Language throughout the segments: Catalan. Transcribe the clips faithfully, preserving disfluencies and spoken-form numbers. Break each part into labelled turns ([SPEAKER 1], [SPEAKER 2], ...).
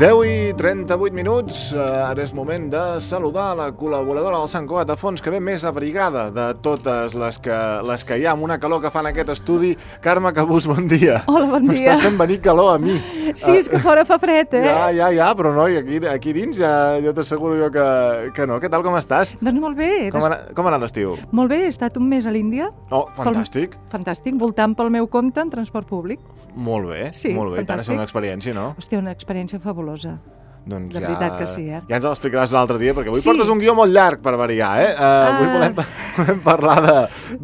[SPEAKER 1] deu i trenta-vuit minuts, ara és moment de saludar la col·laboradora del Sant Cugat de Fons, que ve més abrigada de totes les que, les que hi ha, amb una calor que fan en aquest estudi. Carme Cabús, bon dia.
[SPEAKER 2] Hola, bon dia.
[SPEAKER 1] M'estàs fent venir calor a mi.
[SPEAKER 2] Sí, és que fora fa fred, eh?
[SPEAKER 1] Ja, ja, ja, però no, i aquí, aquí dins ja, ja t'asseguro jo que, que no. Què tal, com estàs?
[SPEAKER 2] Doncs molt bé.
[SPEAKER 1] Com ha, com ha anat l'estiu?
[SPEAKER 2] Molt bé, he estat un mes a l'Índia.
[SPEAKER 1] Oh, fantàstic.
[SPEAKER 2] Pel... Fantàstic, voltant pel meu compte en transport públic.
[SPEAKER 1] Molt bé,
[SPEAKER 2] sí,
[SPEAKER 1] molt bé. Tant és una experiència, no?
[SPEAKER 2] Hòstia, una experiència fabulosa.
[SPEAKER 1] Doncs
[SPEAKER 2] de
[SPEAKER 1] ja,
[SPEAKER 2] veritat que sí, eh?
[SPEAKER 1] Ja ens l'explicaràs l'altre dia, perquè avui
[SPEAKER 2] sí.
[SPEAKER 1] portes un guió molt llarg per variar, eh? Uh, ah. Avui volem, volem parlar de,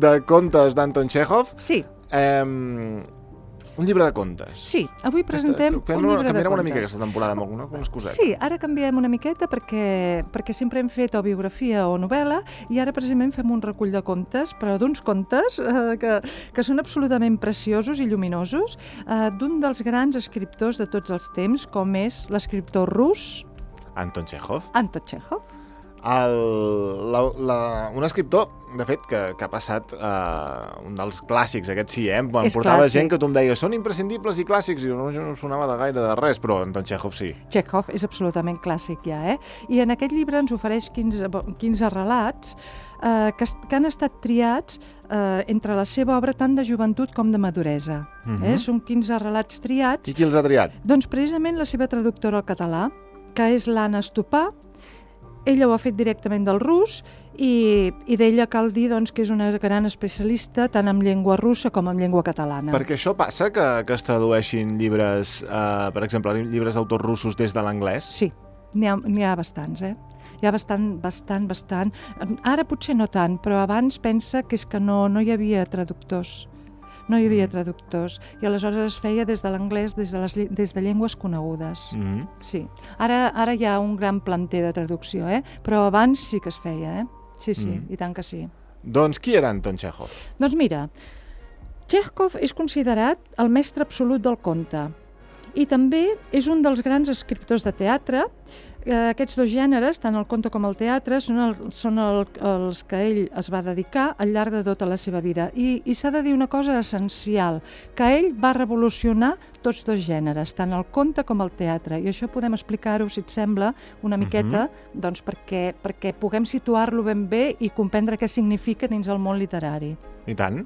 [SPEAKER 1] de contes d'Anton Chekhov.
[SPEAKER 2] Sí.
[SPEAKER 1] Um, un llibre de contes.
[SPEAKER 2] Sí, avui presentem
[SPEAKER 1] Aquesta,
[SPEAKER 2] un llibre de contes.
[SPEAKER 1] Canviarem una mica aquesta temporada amb algunes cosetes.
[SPEAKER 2] Sí, ara canviem una miqueta perquè, perquè sempre hem fet o biografia o novel·la i ara precisament fem un recull de contes, però d'uns contes eh, que, que són absolutament preciosos i lluminosos, eh, d'un dels grans escriptors de tots els temps, com és l'escriptor rus
[SPEAKER 1] Anton Chekhov.
[SPEAKER 2] Anton Chekhov.
[SPEAKER 1] El, la, la, un escriptor, de fet, que, que ha passat uh, un dels clàssics, aquest sí, eh? Em portava
[SPEAKER 2] clàssic.
[SPEAKER 1] Gent que tu em deies, són imprescindibles i clàssics, i no, no sonava de gaire de res, però Anton Chekhov sí.
[SPEAKER 2] Chekhov és absolutament clàssic ja, eh? I en aquest llibre ens ofereix quinze, quinze relats eh, que, que han estat triats eh, entre la seva obra tant de joventut com de maduresa. Uh-huh. eh? Són quinze relats triats.
[SPEAKER 1] I qui els ha triat?
[SPEAKER 2] Doncs precisament la seva traductora al català, que és l'Anna Estopà. Ella ho ha fet directament del rus i, i d'ella cal dir doncs, que és una gran especialista tant en llengua russa com en llengua catalana.
[SPEAKER 1] Perquè això passa, que, que es tradueixin llibres, eh, per exemple, llibres d'autors russos des de l'anglès?
[SPEAKER 2] Sí, n'hi ha, n'hi ha bastants, eh? Hi ha bastant, bastant, bastant. Ara potser no tant, però abans pensa que és que no, no hi havia traductors. No hi havia traductors, i aleshores es feia des de l'anglès, des, de les, des de llengües conegudes. Mm-hmm. Sí. Ara, ara hi ha un gran planter de traducció, eh? Però abans sí que es feia, eh? Sí, sí, mm. i tant que sí.
[SPEAKER 1] Doncs qui era Anton Chekhov?
[SPEAKER 2] Doncs mira, Chekhov és considerat el mestre absolut del conte i també és un dels grans escriptors de teatre. Eh, aquests dos gèneres, tant el conte com el teatre, són, el, són el, els que ell es va dedicar al llarg de tota la seva vida. I, i s'ha de dir una cosa essencial, que ell va revolucionar tots dos gèneres, tant el conte com el teatre. I això podem explicar-ho, si et sembla, una miqueta, uh-huh. doncs perquè, perquè puguem situar-lo ben bé i comprendre què significa dins el món literari.
[SPEAKER 1] I tant.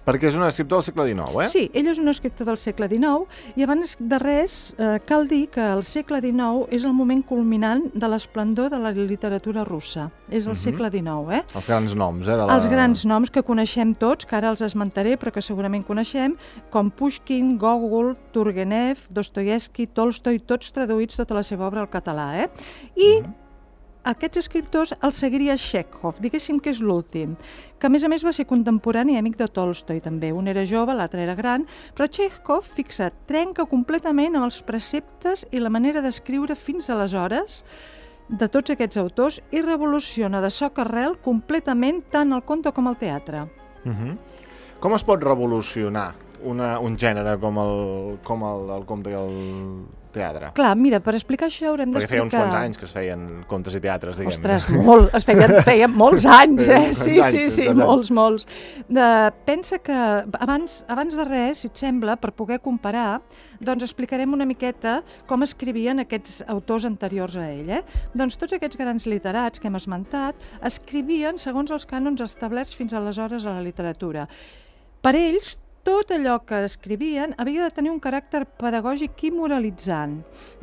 [SPEAKER 1] Perquè és un escriptor del segle dinou, eh?
[SPEAKER 2] Sí, ell és un escriptor del segle dinou i abans de res eh, cal dir que el segle dinou és el moment culminant de l'esplendor de la literatura russa. És el uh-huh. segle dinou, eh?
[SPEAKER 1] Els grans noms, eh? De la...
[SPEAKER 2] Els grans noms que coneixem tots, que ara els esmentaré, però que segurament coneixem, com Pushkin, Gogol, Turgenev, Dostoievski, Tolstoi, tots traduïts tota la seva obra al català, eh? I... Uh-huh. Aquests escriptors els seguiria Chekhov, diguéssim que és l'últim, que a més a més va ser contemporani i amic de Tolstoi també. Un era jove, l'altre era gran, però Chekhov, fixa't, trenca completament amb els preceptes i la manera d'escriure fins aleshores de tots aquests autors i revoluciona de soc arrel completament tant el conte com el teatre.
[SPEAKER 1] Uh-huh. Com es pot revolucionar una, un gènere com el, com el, el conte i el teatre?
[SPEAKER 2] Clar, mira, per explicar això haurem
[SPEAKER 1] Perquè
[SPEAKER 2] d'explicar...
[SPEAKER 1] feia uns quants anys que es feien contes i teatres, diguem.
[SPEAKER 2] Ostres, molt, es feien, feien molts anys, eh? Sí, sí, sí, molts, molts. De, pensa que abans, abans de res, si et sembla, per poder comparar, doncs explicarem una miqueta com escrivien aquests autors anteriors a ell, eh? Doncs tots aquests grans literats que hem esmentat escrivien segons els cànons establerts fins aleshores a la literatura. Per ells, tot allò que escrivien havia de tenir un caràcter pedagògic i moralitzant.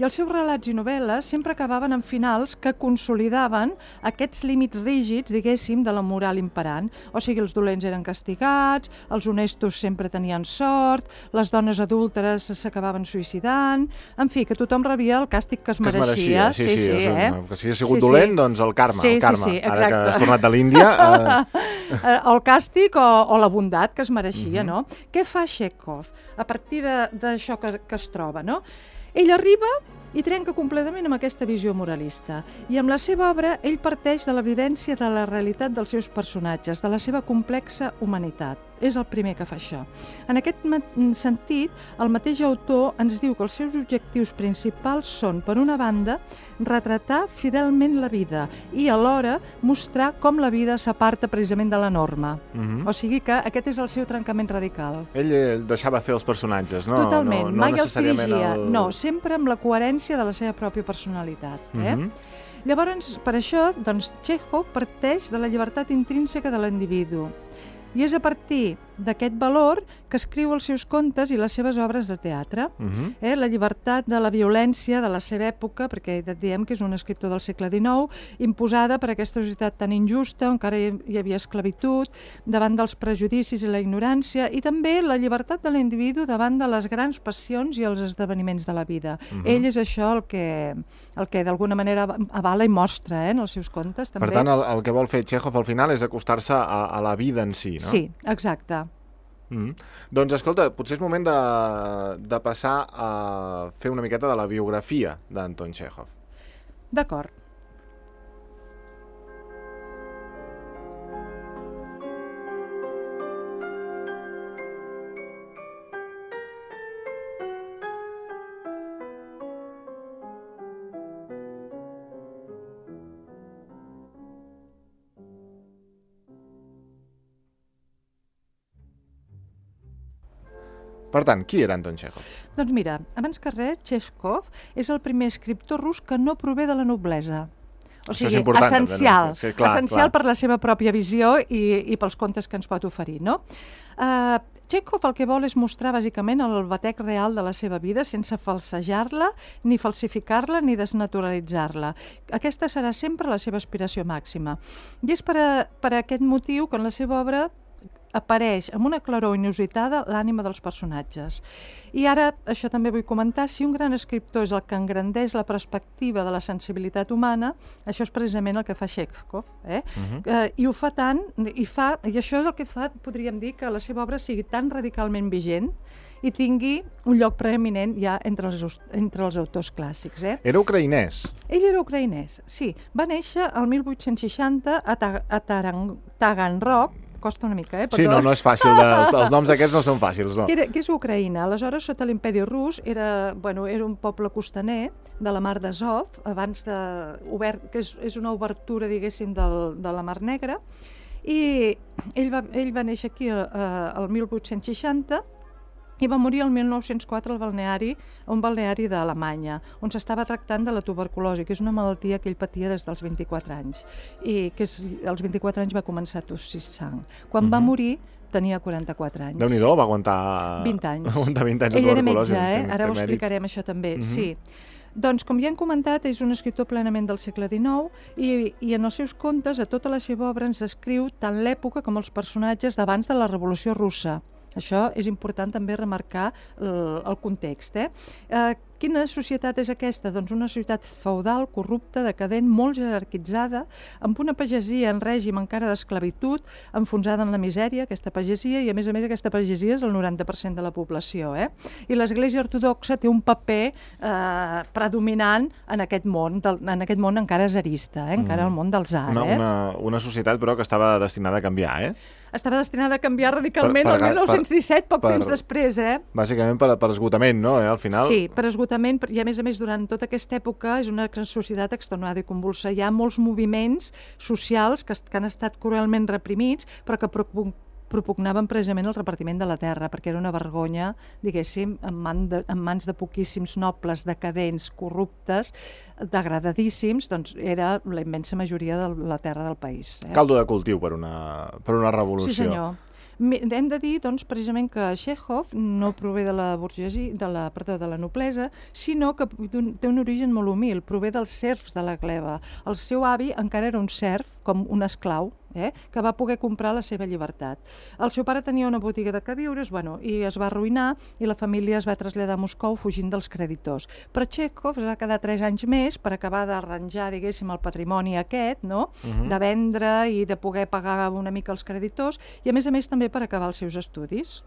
[SPEAKER 2] I els seus relats i novel·les sempre acabaven en finals que consolidaven aquests límits rígids, diguéssim, de la moral imperant. O sigui, els dolents eren castigats, els honestos sempre tenien sort, les dones adúlteres s'acabaven suïcidant... En fi, que tothom rebia el càstig que es
[SPEAKER 1] que
[SPEAKER 2] mereixia.
[SPEAKER 1] Es mereixia. Sí, sí, sí,
[SPEAKER 2] sí, eh?
[SPEAKER 1] Que si ha sigut
[SPEAKER 2] sí,
[SPEAKER 1] dolent,
[SPEAKER 2] sí.
[SPEAKER 1] doncs el karma,
[SPEAKER 2] sí,
[SPEAKER 1] el karma.
[SPEAKER 2] Sí, sí,
[SPEAKER 1] ara que has tornat de l'Índia...
[SPEAKER 2] Eh... el càstig o, o la bondat que es mereixia, uh-huh. no? Què fa Chekhov a partir d'això que, que es troba, no? Ell arriba i trenca completament amb aquesta visió moralista. I amb la seva obra ell parteix de l'evidència de la realitat dels seus personatges, de la seva complexa humanitat. és el primer que fa això. En aquest sentit, el mateix autor ens diu que els seus objectius principals són, per una banda, retratar fidelment la vida i alhora mostrar com la vida s'aparta precisament de la norma. Uh-huh. O sigui que aquest és el seu trencament radical.
[SPEAKER 1] Ell deixava fer els personatges, no?
[SPEAKER 2] Totalment,
[SPEAKER 1] no, no
[SPEAKER 2] mai els dirigia.
[SPEAKER 1] el...
[SPEAKER 2] No, sempre amb la coherència de la seva pròpia personalitat. Eh? Uh-huh. Llavors, per això, doncs, Txékhov parteix de la llibertat intrínseca de l'individu. I és a partir d'aquest valor que escriu els seus contes i les seves obres de teatre. Uh-huh. eh? La llibertat de la violència de la seva època, perquè diem que és un escriptor del segle dinou, imposada per aquesta societat tan injusta, on encara hi havia esclavitud, davant dels prejudicis i la ignorància, i també la llibertat de l'individu davant de les grans passions i els esdeveniments de la vida. Uh-huh. Ell és això el que, el que d'alguna manera avala i mostra eh, en els seus contes. També.
[SPEAKER 1] Per tant, el, el que vol fer Txékhov al final és acostar-se a, a la vida en si, no?
[SPEAKER 2] Sí, exacte.
[SPEAKER 1] Mm. Doncs escolta, potser és moment de, de passar a fer una miqueta de la biografia d'Anton Txékhov.
[SPEAKER 2] D'acord.
[SPEAKER 1] Per tant, qui era Anton Txékhov?
[SPEAKER 2] Doncs mira, abans que res, Txékhov és el primer escriptor rus que no prové de la noblesa. O sigui, essencial,
[SPEAKER 1] sí, clar,
[SPEAKER 2] essencial
[SPEAKER 1] clar.
[SPEAKER 2] per la seva pròpia visió i, i pels contes que ens pot oferir, no? Uh, Txékhov el que vol és mostrar bàsicament el batec real de la seva vida sense falsejar-la, ni falsificar-la, ni desnaturalitzar-la. Aquesta serà sempre la seva aspiració màxima. I és per, a, per a aquest motiu que en la seva obra apareix amb una claror inusitada l'ànima dels personatges. I ara, això també vull comentar, si un gran escriptor és el que engrandeix la perspectiva de la sensibilitat humana, això és precisament el que fa Txékhov. Eh? Uh-huh. eh, I ho fa tant, i, fa, i això és el que fa, podríem dir, que la seva obra sigui tan radicalment vigent i tingui un lloc preeminent ja entre els, entre els autors clàssics. Eh?
[SPEAKER 1] Era ucraïnès.
[SPEAKER 2] Ell era ucraïnès, sí. Va néixer el mil vuit-cents seixanta a, Ta a Taganrog, costa una mica, eh?
[SPEAKER 1] Però... Sí, no, no és fàcil. De, els, els noms aquests no són fàcils, no.
[SPEAKER 2] Que, era, que és Ucraïna. Aleshores, sota l'imperi rus, era, bueno, era un poble costaner de la mar d'Azov, abans de... Obert, que és, és una obertura, diguéssim, del, de la Mar Negra, i ell va, ell va néixer aquí eh, el mil vuit-cents seixanta i va morir el mil nou-cents quatre al balneari, un balneari d'Alemanya, on s'estava tractant de la tuberculosi, que és una malaltia que ell patia des dels vint-i-quatre anys, i que és, als vint-i-quatre anys va començar a tossir sang. Quan uh-huh. va morir tenia quaranta-quatre anys.
[SPEAKER 1] Déu-n'hi-do, va aguantar...
[SPEAKER 2] vint anys.
[SPEAKER 1] aguantar vint anys de
[SPEAKER 2] ell
[SPEAKER 1] tuberculosi.
[SPEAKER 2] Ell era metge, eh? Ara ho explicarem això també, uh-huh. sí. Doncs, com ja hem comentat, és un escriptor plenament del segle dinou i, i en els seus contes, a tota la seva obra, ens descriu tant l'època com els personatges d'abans de la Revolució Russa. Això és important també remarcar el, el context. Eh? Eh, quina societat és aquesta? Doncs una societat feudal, corrupta, decadent, molt jerarquitzada, amb una pagesia en règim encara d'esclavitud, enfonsada en la misèria, aquesta pagesia, i a més a més aquesta pagesia és el noranta per cent de la població. Eh? I l'Església Ortodoxa té un paper eh, predominant en aquest món, del, en aquest món encara zarista, eh? encara mm. el món del tsar.
[SPEAKER 1] Una,
[SPEAKER 2] eh?
[SPEAKER 1] una, una societat, però, que estava destinada a canviar, eh?
[SPEAKER 2] Estava destinada a canviar radicalment per, per, el mil nou-cents disset, poc per, temps després, eh?
[SPEAKER 1] Bàsicament per, per esgotament, no? Eh? Al final...
[SPEAKER 2] Sí, per esgotament, i a més a més durant tota aquesta època és una societat extenuada i convulsa. Hi ha molts moviments socials que, que han estat cruelment reprimits, però que propugnaven precisament el repartiment de la terra, perquè era una vergonya, diguéssim, en, man de, en mans de poquíssims nobles, decadents, corruptes, degradadíssims, doncs era la immensa majoria de la terra del país. Eh?
[SPEAKER 1] Caldo de cultiu per una, per una revolució.
[SPEAKER 2] Sí, senyor. Hem de dir, doncs, precisament que Txékhov no prové de la burgesia, de la, perdó, de la noblesa, sinó que té un origen molt humil, prové dels serfs de la gleba. El seu avi encara era un serf, com un esclau, eh, que va poder comprar la seva llibertat. El seu pare tenia una botiga de queviures, bueno, i es va arruïnar, i la família es va traslladar a Moscou fugint dels creditors. Però Txékhov es va quedar tres anys més per acabar d'arranjar, diguéssim, el patrimoni aquest, no? Uh-huh. De vendre i de poder pagar una mica els creditors, i a més a més també per acabar els seus estudis.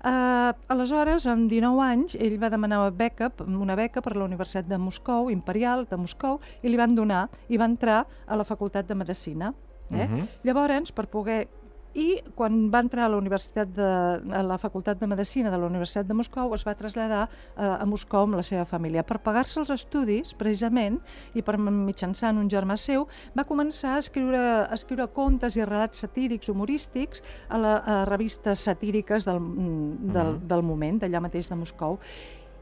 [SPEAKER 2] Uh, aleshores, amb dinou anys, ell va demanar una beca, una beca per la Universitat de Moscou, Imperial de Moscou, i li van donar, i va entrar a la Facultat de Medicina. Eh? Uh-huh. Llavors, per poder i quan va entrar a la Universitat de, a la Facultat de Medicina de la Universitat de Moscou es va traslladar eh, a Moscou amb la seva família. Per pagar-se els estudis, precisament, i per mitjançant un germà seu, va començar a escriure, a escriure contes i relats satírics, humorístics, a, la, a revistes satíriques del, del, mm. del moment, d'allà mateix de Moscou.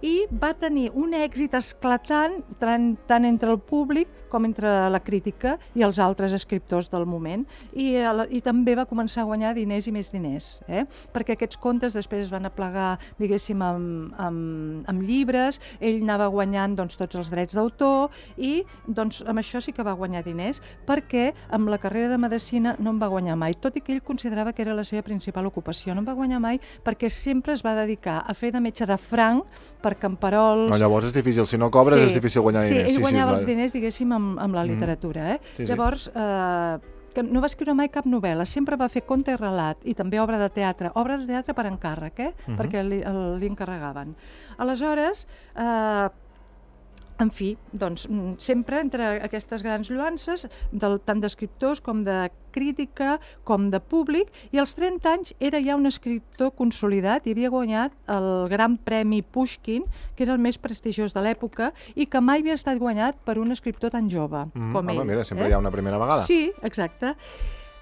[SPEAKER 2] I va tenir un èxit esclatant tant, tant entre el públic com entre la crítica i els altres escriptors del moment. I, i també va començar a guanyar diners i més diners, eh? Perquè aquests contes després es van aplegar, diguéssim, amb, amb, amb llibres, ell anava guanyant doncs, tots els drets d'autor i doncs, amb això sí que va guanyar diners, perquè amb la carrera de medicina no en va guanyar mai, tot i que ell considerava que era la seva principal ocupació. No en va guanyar mai perquè sempre es va dedicar a fer de metge de franc per camperols...
[SPEAKER 1] No, llavors és difícil, si no cobres sí, és difícil guanyar
[SPEAKER 2] sí,
[SPEAKER 1] diners.
[SPEAKER 2] Ell
[SPEAKER 1] sí,
[SPEAKER 2] guanyava
[SPEAKER 1] sí,
[SPEAKER 2] els diners, diguéssim, amb, amb la literatura. Eh? Sí, sí. Llavors, eh, que no va escriure mai cap novel·la, sempre va fer conte i relat, i també obra de teatre, obra de teatre per encàrrec, eh? Uh-huh. Perquè li, li encarregaven. Aleshores, eh, en fi, doncs, sempre entre aquestes grans lluances, del, tant d'escriptors com de crítica, com de públic, i als trenta anys era ja un escriptor consolidat i havia guanyat el Gran Premi Pushkin, que era el més prestigiós de l'època, i que mai havia estat guanyat per un escriptor tan jove mm, com ell.
[SPEAKER 1] Home, mira, sempre
[SPEAKER 2] eh?
[SPEAKER 1] hi ha una primera vegada.
[SPEAKER 2] Sí, exacte.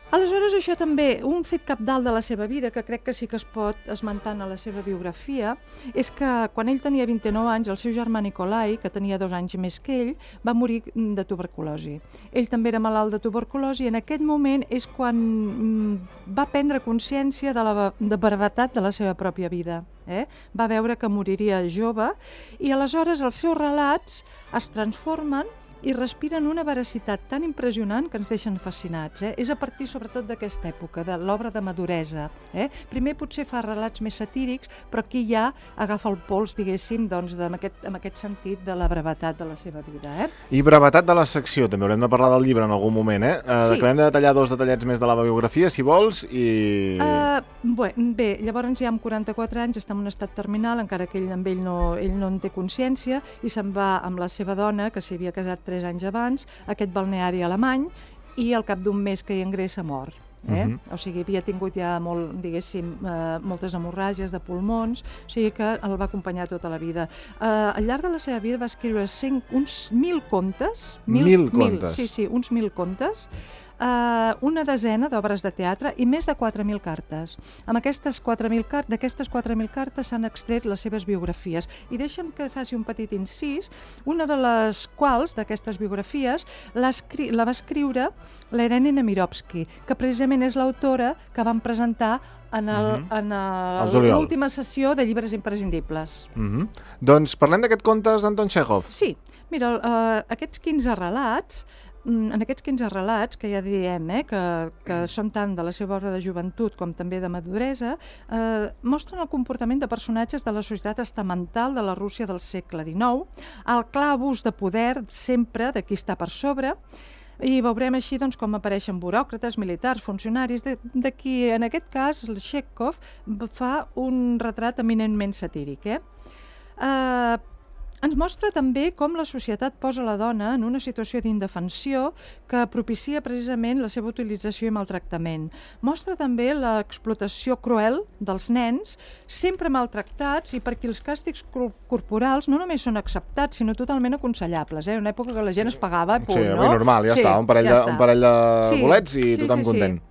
[SPEAKER 2] Aleshores, això també, un fet cabdal de la seva vida, que crec que sí que es pot esmentar a la seva biografia, és que quan ell tenia vint-i-nou anys, el seu germà Nikolai, que tenia dos anys més que ell, va morir de tuberculosi. Ell també era malalt de tuberculosi i en aquest moment és quan va prendre consciència de la de brevetat de la seva pròpia vida. Eh? Va veure que moriria jove i aleshores els seus relats es transformen i respiren una veracitat tan impressionant que ens deixen fascinats. Eh? És a partir sobretot d'aquesta època, de l'obra de maduresa. Eh? Primer potser fa relats més satírics, però aquí ja agafa el pols, diguéssim, doncs, amb, aquest, amb aquest sentit de la brevetat de la seva vida. Eh?
[SPEAKER 1] I brevetat de la secció, també haurem de parlar del llibre en algun moment. Eh? Uh, sí. Acabem de detallar dos detallets més de la biografia, si vols, i...
[SPEAKER 2] Uh, bé, bé, llavors ja amb quaranta-quatre anys està en un estat terminal, encara que ell amb ell no, ell no en té consciència, i se'n va amb la seva dona, que s'hi havia casat tres anys abans, a aquest balneari alemany, i al cap d'un mes que hi ingressa mort. Eh? Uh-huh. O sigui, havia tingut ja molt, diguéssim, eh, moltes hemorràgies de pulmons, o sigui que el va acompanyar tota la vida. Eh, al llarg de la seva vida va escriure cent, uns mil contes.
[SPEAKER 1] Mil, mil contes?
[SPEAKER 2] Mil, sí, sí, uns mil contes. Uh, una desena d'obres de teatre i més de quatre mil cartes. Amb aquestes quatre mil cartes, d'aquestes quatre mil cartes s'han extret les seves biografies. I deixa'm que faci un petit incís, una de les quals, d'aquestes biografies, la va escriure l'Irene Nemirovsky, que precisament és l'autora que van presentar en l'última sessió de llibres imprescindibles.
[SPEAKER 1] Uh-huh. Doncs parlem d'aquests contes d'Anton Txékhov.
[SPEAKER 2] Sí, mira, uh, aquests quinze relats, en aquests quinze relats, que ja diem eh, que, que són tant de la seva obra de joventut com també de maduresa, eh, mostren el comportament de personatges de la societat estamental de la Rússia del segle dinou, el clar abús de poder sempre de qui està per sobre, i veurem així doncs, com apareixen buròcrates, militars, funcionaris, de, de qui en aquest cas el Txékhov fa un retrat eminentment satíric. Eh? Eh, Ens mostra també com la societat posa la dona en una situació d'indefensió que propicia precisament la seva utilització i maltractament. Mostra també l'explotació cruel dels nens, sempre maltractats i per qui els càstigs corporals no només són acceptats, sinó totalment aconsellables. Eh? Una època que la gent es pagava, punt,
[SPEAKER 1] sí,
[SPEAKER 2] no?
[SPEAKER 1] Sí, normal, ja sí, està, un parell, ja de, un parell de sí, bolets i sí, tothom sí, content.
[SPEAKER 2] Sí.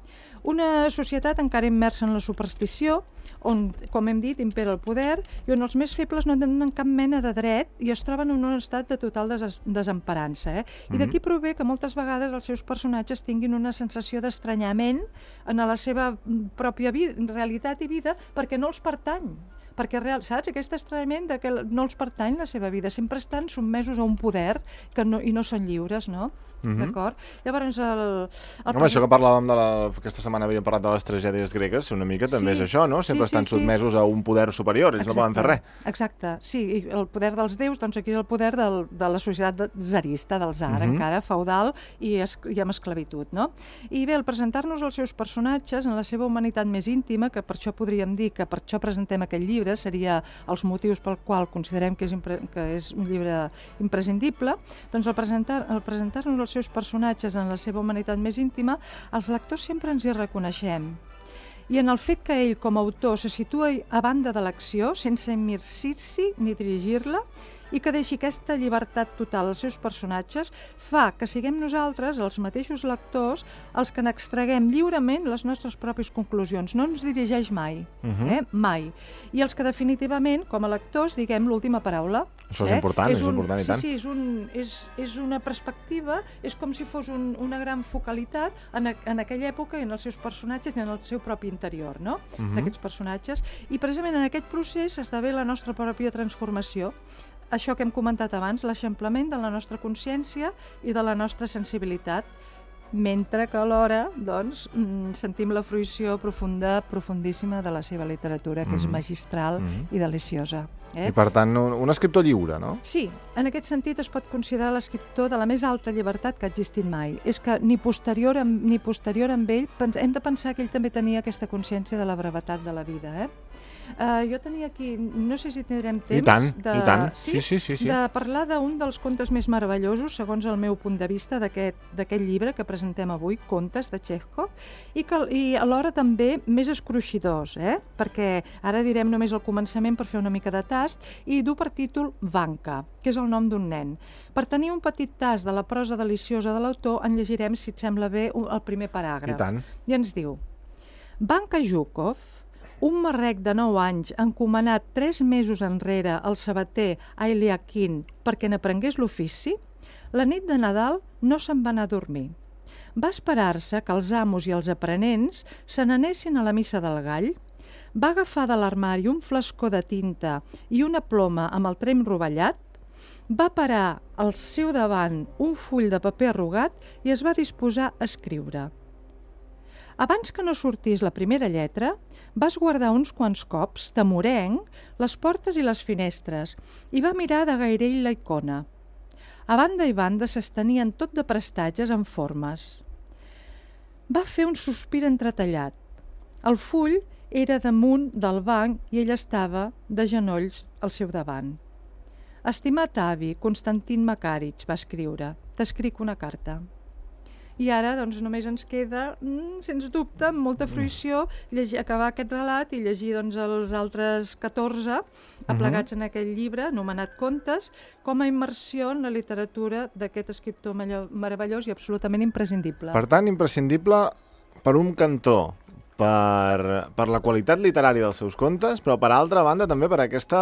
[SPEAKER 2] Una societat encara immersa en la superstició, on, com hem dit, impera el poder i on els més febles no tenen cap mena de dret i es troben en un estat de total des desemparança. Eh? I mm-hmm. d'aquí prové que moltes vegades els seus personatges tinguin una sensació d'estranyament en la seva pròpia vida, realitat i vida perquè no els pertany. Perquè, real, saps, aquest estranyament de que no els pertany la seva vida, sempre estan sotmesos a un poder que no, i no són lliures, no? Mm-hmm. D'acord? Llavors, el... el
[SPEAKER 1] Home, això que parlàvem de la... Aquesta setmana havíem parlat de les tragèdies gregues, una mica també sí, és això, no? Sempre sí, estan sí, sotmesos sí. a un poder superior, ells Exacte. no poden fer res.
[SPEAKER 2] Exacte, sí, i el poder dels déus, doncs aquí és el poder del, de la societat zarista, del tsar, mm-hmm. encara, feudal i, es, i amb esclavitud, no? I bé, al presentar-nos els seus personatges en la seva humanitat més íntima, que per això podríem dir que per això presentem aquest llibre, seria els motius pel qual considerem que és, impre... que és un llibre imprescindible, doncs al presentar, al presentar-nos els seus personatges en la seva humanitat més íntima, els lectors sempre ens hi reconeixem. i en el fet que ell, com a autor, se situa a banda de l'acció, sense immergir-s'hi ni dirigir-la, i que deixi aquesta llibertat total als seus personatges, fa que siguem nosaltres, els mateixos lectors, els que n'extraguem lliurement les nostres pròpies conclusions. No ens dirigeix mai, uh-huh. eh? mai. I els que definitivament, com a lectors, diguem l'última paraula.
[SPEAKER 1] Això és eh? important, és,
[SPEAKER 2] és un,
[SPEAKER 1] important i
[SPEAKER 2] sí,
[SPEAKER 1] tant.
[SPEAKER 2] Sí, és, un, és, és una perspectiva, és com si fos un, una gran focalitat en, a, en aquella època i en els seus personatges i en el seu propi interior, no? Uh-huh. d'aquests personatges. I precisament en aquest procés s'esdevé la nostra pròpia transformació. Això que hem comentat abans, l'eixamplament de la nostra consciència i de la nostra sensibilitat, mentre que alhora doncs, sentim la fruïció profunda, profundíssima de la seva literatura, que mm. és magistral mm. i deliciosa. Eh?
[SPEAKER 1] I per tant, un, un escriptor lliure, no?
[SPEAKER 2] Sí, en aquest sentit es pot considerar l'escriptor de la més alta llibertat que ha existit mai. És que ni posterior, amb, ni posterior amb ell hem de pensar que ell també tenia aquesta consciència de la brevetat de la vida, eh? Uh, jo tenia aquí, no sé si tindrem temps
[SPEAKER 1] I tant,
[SPEAKER 2] de,
[SPEAKER 1] i tant.
[SPEAKER 2] Sí?
[SPEAKER 1] Sí, sí, sí, sí.
[SPEAKER 2] de parlar d'un dels contes més meravellosos, segons el meu punt de vista, d'aquest llibre que presentem avui, Contes de Txékhov, i, que, i alhora també més escruixidors, eh? perquè ara direm només el començament per fer una mica de tast, i du per títol Vanka, que és el nom d'un nen. Per tenir un petit tast de la prosa deliciosa de l'autor, en llegirem, si et sembla bé, el primer paràgraf.
[SPEAKER 1] I tant.
[SPEAKER 2] I ens diu: Vanka Zhukov, un marrec de nou anys encomanat tres mesos enrere al sabater Ailiakin perquè n'aprengués l'ofici, la nit de Nadal no se'n va anar a dormir. Va esperar-se que els amos i els aprenents se n'anessin a la missa del gall, va agafar de l'armari un flascó de tinta i una ploma amb el trem rovellat, va parar al seu davant un full de paper arrugat i es va disposar a escriure. Abans que no sortís la primera lletra, va esguardar uns quants cops, temorenc, les portes i les finestres i va mirar de gairell la icona. A banda i banda s'estenien tot de prestatges en formes. Va fer un sospir entretallat. El full era damunt del banc i ell estava de genolls al seu davant. Estimat avi, Konstantin Makarich, va escriure, t'escric una carta. I ara doncs, només ens queda, mm, sens dubte, amb molta fruïció, llegir, acabar aquest relat i llegir doncs, els altres catorze aplegats uh-huh. en aquell llibre, anomenat Contes, com a immersió en la literatura d'aquest escriptor meravellós i absolutament imprescindible.
[SPEAKER 1] Per tant, imprescindible per un cantó, per, per la qualitat literària dels seus contes, però per altra banda també per aquesta,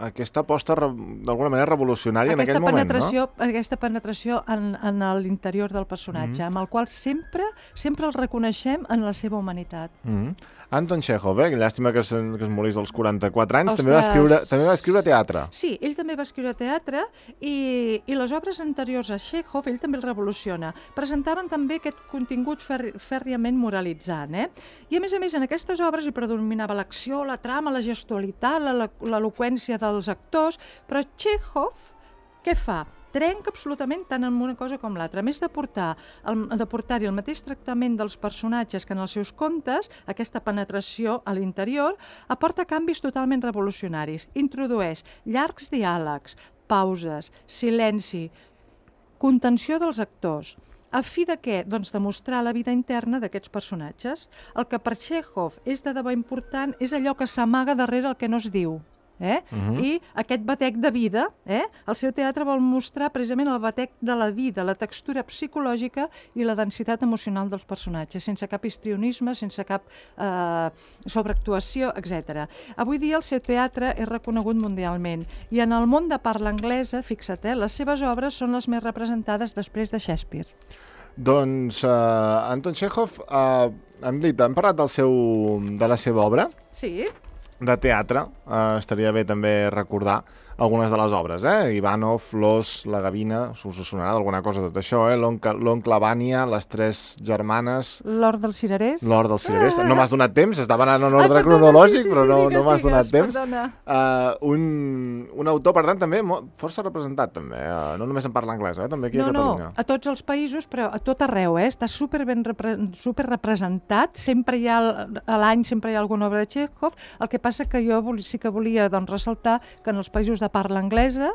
[SPEAKER 1] aquesta aposta d'alguna manera revolucionària aquesta en aquell
[SPEAKER 2] penetració,
[SPEAKER 1] moment, no?
[SPEAKER 2] Aquesta penetració en, en l'interior del personatge, mm. amb el qual sempre sempre el reconeixem en la seva humanitat.
[SPEAKER 1] Mm. Anton Txékhov, eh? Llàstima que es, que es morís als quaranta-quatre anys, també va, escriure, també va escriure teatre.
[SPEAKER 2] Sí, ell també va escriure teatre i, i les obres anteriors a Txékhov ell també el revoluciona. Presentaven també aquest contingut fer, fèrriament moralitzant, eh? I a més a més en aquestes obres hi predominava l'acció, la trama, la gestualitat, l'eloqüència dels actors, però Txékhov què fa? Trenca absolutament tant en una cosa com l'altra. A més de portar el, de portar-hi el mateix tractament dels personatges que en els seus contes, aquesta penetració a l'interior, aporta canvis totalment revolucionaris. Introdueix llargs diàlegs, pauses, silenci, contenció dels actors. A fi de què? Doncs de mostrar la vida interna d'aquests personatges. El que per Txékhov és de debò important és allò que s'amaga darrere el que no es diu. Eh? Uh-huh. I aquest batec de vida, eh? El seu teatre vol mostrar precisament el batec de la vida, la textura psicològica i la densitat emocional dels personatges, sense cap histrionisme, sense cap eh, sobreactuació, etcètera. Avui dia el seu teatre és reconegut mundialment i en el món de parla anglesa, fixa't, eh, les seves obres són les més representades després de Shakespeare.
[SPEAKER 1] Doncs uh, Anton Txékhov, uh, hem dit, hem parlat del seu, de la seva obra?
[SPEAKER 2] Sí.
[SPEAKER 1] De teatre, eh, estaria bé també recordar algunes de les obres, eh? Ivanov, Los, La Gavina, us sonarà d'alguna cosa tot això, eh? L'oncle Vanya, Les tres germanes...
[SPEAKER 2] L'Hort dels Cirerers.
[SPEAKER 1] L'Hort dels Cirerers. No m'has donat temps, estava anant en ordre ah, cronològic, sí, sí, però no, sí, no m'has donat temps. Uh, un, un autor, per tant, també força representat, també. Uh, no només en parla anglès, eh? També aquí
[SPEAKER 2] no,
[SPEAKER 1] a Catalunya.
[SPEAKER 2] No, a tots els països, però a tot arreu, eh? Està super ben repre super representat. Sempre hi ha, a l'any sempre hi ha alguna obra de Txékhov. El que passa que jo sí que volia doncs, ressaltar que en els països de parla anglesa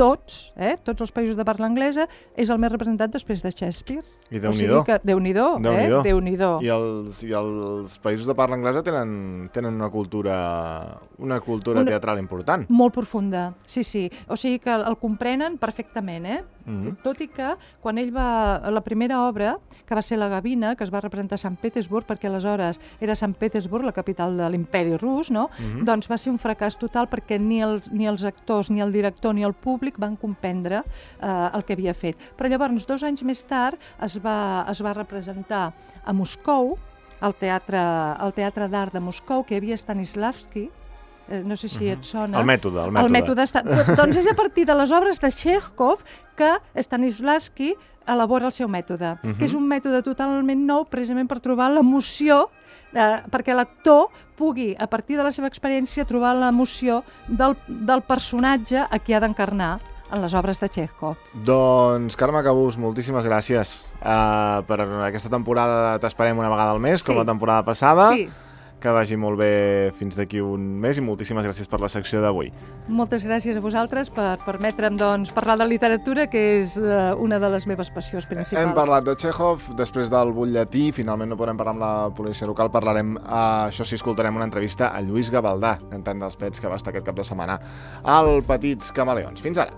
[SPEAKER 2] tots, eh, tots els països de parla anglesa, és el més representat després de Shakespeare.
[SPEAKER 1] I Déu-n'hi-do.
[SPEAKER 2] O sigui que, Déu-n'hi-do, eh? Déu-n'hi-do.
[SPEAKER 1] I els, i els països de parla anglesa tenen, tenen una cultura, una cultura una... teatral important.
[SPEAKER 2] Molt profunda, sí, sí. O sigui que el comprenen perfectament, eh? Mm-hmm. Tot i que quan ell va... La primera obra, que va ser La Gavina, que es va representar a Sant Petersburg, perquè aleshores era Sant Petersburg, la capital de l'imperi rus, no? Mm-hmm. Doncs va ser un fracàs total perquè ni els, ni els actors, ni el director, ni el públic van comprendre eh, el que havia fet. Però llavors, dos anys més tard, es va, es va representar a Moscou, al Teatre, al Teatre d'Art de Moscou, que hi havia Stanislavski, eh, no sé si et sona.
[SPEAKER 1] El mètode, el mètode.
[SPEAKER 2] El mètode està... Doncs és a partir de les obres de Chekhov que Stanislavski elabora el seu mètode, uh-huh. que és un mètode totalment nou precisament per trobar l'emoció, eh, perquè l'actor pugui, a partir de la seva experiència, trobar l'emoció del, del personatge a qui ha d'encarnar en les obres de Chekhov.
[SPEAKER 1] Doncs, Carme Cabús, moltíssimes gràcies. Uh, per aquesta temporada t'esperem una vegada al mes, com sí. la temporada passada.
[SPEAKER 2] Sí.
[SPEAKER 1] Que vagi molt bé fins d'aquí un mes i moltíssimes gràcies per la secció d'avui.
[SPEAKER 2] Moltes gràcies a vosaltres per permetre'm doncs, parlar de literatura, que és uh, una de les meves passions principals.
[SPEAKER 1] Hem parlat de Chekhov, després del butlletí, finalment no podrem parlar amb la policia local, parlarem, uh, això sí, escoltarem una entrevista a Lluís Gavaldà, cantant dels Pets, que va estar aquest cap de setmana al Petits Camaleons. Fins ara!